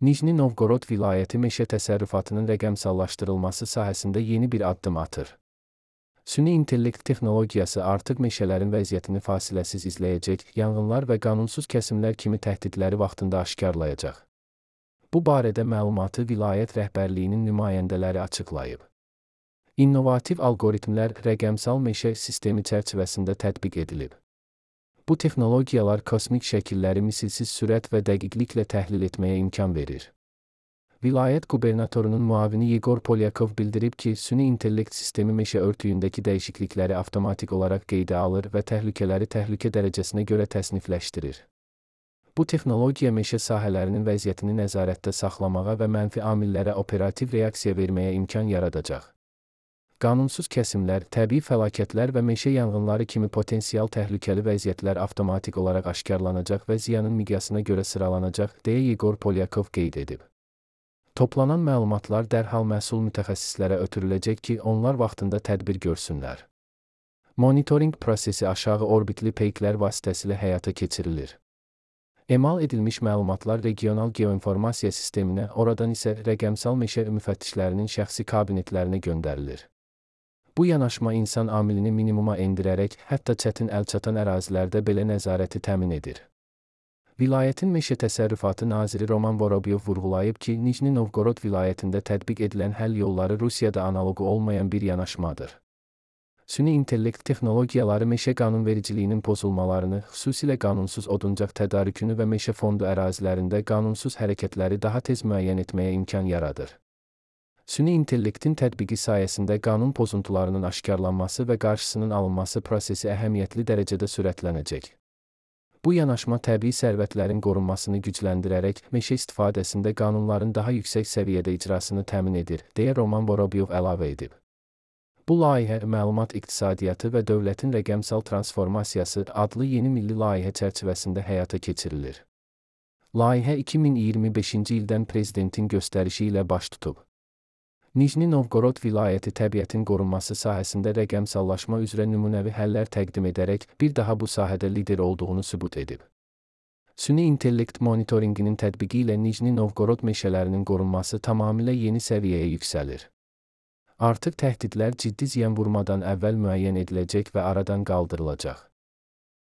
Nijni Novgorod vilayəti meşə təsərrüfatının rəqəmsallaşdırılması sahəsində yeni bir addım atır. Süni intellekt texnologiyası artıq meşələrin vəziyyətini fasiləsiz izləyəcək, yanğınlar və qanunsuz kəsimlər kimi təhdidləri vaxtında aşkarlayacaq. Bu barədə məlumatı vilayət rəhbərliyinin nümayəndələri açıqlayıb. İnnovativ algoritmlər rəqəmsal meşə sistemi çərçivəsində tətbiq edilib. Bu texnologiyalar kosmik şəkilləri misilsiz sürət və dəqiqliklə təhlil etməyə imkan verir. Vilayət qubernatorunun müavini Yegor Polyakov bildirib ki, süni intellekt sistemi meşə örtüyündəki dəyişiklikləri avtomatik olaraq qeydə alır və təhlükələri təhlükə dərəcəsinə görə təsnifləşdirir. Bu texnologiya meşə sahələrinin vəziyyətini nəzarətdə saxlamağa və mənfi amillərə operativ reaksiya verməyə imkan yaradacaq. Qanunsuz kəsimlər, təbii fəlakətlər və meşə yanğınları kimi potensial təhlükəli vəziyyətlər avtomatik olaraq aşkarlanacaq və ziyanın miqyasına görə sıralanacaq, deyə Yegor Polyakov qeyd edib. Toplanan məlumatlar dərhal məsul mütəxəssislərə ötürüləcək ki, onlar vaxtında tədbir görsünlər. Monitoring prosesi aşağı orbitli peyklər vasitəsilə həyata keçirilir. Emal edilmiş məlumatlar regional geoinformasiya sisteminə, oradan isə rəqəmsal meşə müfəttişlərinin şəxsi kabinetlərinə göndərilir. Bu yanaşma insan amilini minimuma endirərək, hətta çətin əlçatan ərazilərdə belə nəzarəti təmin edir. Vilayətin meşə təsərrüfatı naziri Roman Vorobyov vurğulayıb ki, Nijni Novgorod vilayətində tətbiq edilən həll yolları Rusiyada analoqu olmayan bir yanaşmadır. Süni intellekt texnologiyaları meşə qanunvericiliyinin pozulmalarını, xüsusilə qanunsuz oduncaq tədarükünü və meşə fondu ərazilərində qanunsuz hərəkətləri daha tez müəyyən etməyə imkan yaradır. Süni intellektin tətbiqi sayəsində qanun pozuntularının aşkarlanması və qarşısının alınması prosesi əhəmiyyətli dərəcədə sürətlənəcək. Bu yanaşma təbii sərvətlərin qorunmasını gücləndirərək, meşə istifadəsində qanunların daha yüksək səviyyədə icrasını təmin edir, deyə Roman Vorobyov əlavə edib. Bu layihə məlumat iqtisadiyyatı və dövlətin rəqəmsal transformasiyası adlı yeni milli layihə çərçivəsində həyata keçirilir. Layihə 2025-ci ildən prezidentin göstərişi ilə baş tutub. Nijni Novgorod vilayəti təbiətin qorunması sahəsində rəqəmsallaşma üzrə nümunəvi həllər təqdim edərək bir daha bu sahədə lider olduğunu sübut edib. Süni intellekt monitorinqinin tətbiqi ilə Nijni Novgorod meşələrinin qorunması tamamilə yeni səviyyəyə yüksəlir. Artıq təhdidlər ciddi ziyan vurmadan əvvəl müəyyən ediləcək və aradan qaldırılacaq.